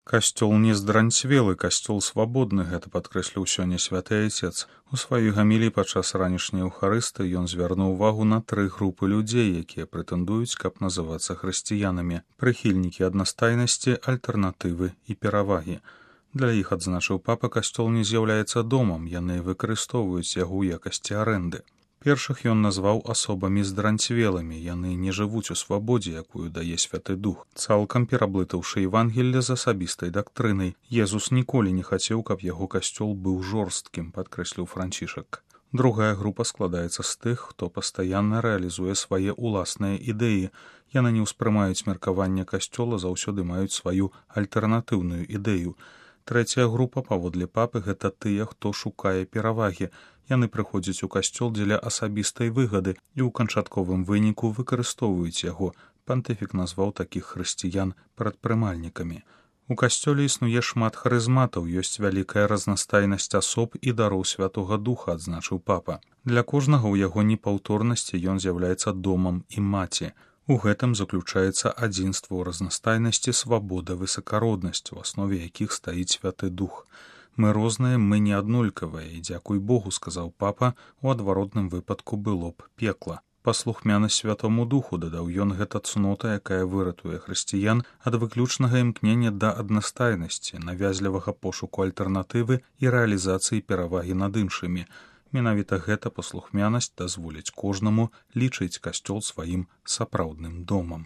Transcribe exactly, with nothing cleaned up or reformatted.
Касцёл не здранцвелы, касцёл свабодны, гэта падкрэсліў сёння святы айцец. У сваёй гаміліі падчас ранішняй еўхарысты ён звярнуў увагу на тры групы людзей, якія прэтэндуюць, каб называцца хрысціянамі: прыхільнікі аднастайнасці, альтэрнатывы і перавагі. Для іх, адзначыў папа, касцёл не з'яўляецца домам, яны выкарыстоўваюць яго ў якасці арэнды. Першых ён назваў асобамі здранцвелымі, яны не жывуць у свабодзе, якую дае святы дух, цалкам пераблытаўшы Евангелле з асабістай дактрынай. Езус ніколі не хацеў, каб яго касцёл быў жорсткім, падкрэсліў Францішак. Другая група складаецца з тых, хто пастаянна рэалізуе свае ўласныя ідэі. Яны не ўспрымаюць меркавання касцёла, заўсёды маюць сваю альтэрнатыўную ідэю. Трэцяя група, паводле папы, гэта тыя, хто шукае перавагі. Яны прыходзяць у касцёл дзеля асабістай выгады і ў канчатковым выніку выкарыстоўваюць яго. Пантыфік назваў такіх хрысціян прадпрымальнікамі. У касцёле існуе шмат харызматаў, ёсць вялікая разнастайнасць асоб і дароў святога духа, адзначыў папа. Для кожнага ў яго непаўторнасці ён з'яўляецца домам і маці. У гэтым заключаецца адзінства ў разнастайнасці, свабода, высакароднасць, у аснове якіх стаіць святы дух. Мы розныя, мы не аднолькавыя, і дзякуй Богу, сказаў папа, у адваротным выпадку было б пекла. Паслухмянасць святому духу, дадаў ён, гэта цнота, якая выратуе хрысціян ад выключнага імкнення да аднастайнасці, навязлівага пошуку альтэрнатывы і рэалізацыі перавагі над іншымі. Менавіта гэта паслухмянасць дазволіць кожнаму лічыць касцёл сваім сапраўдным домам.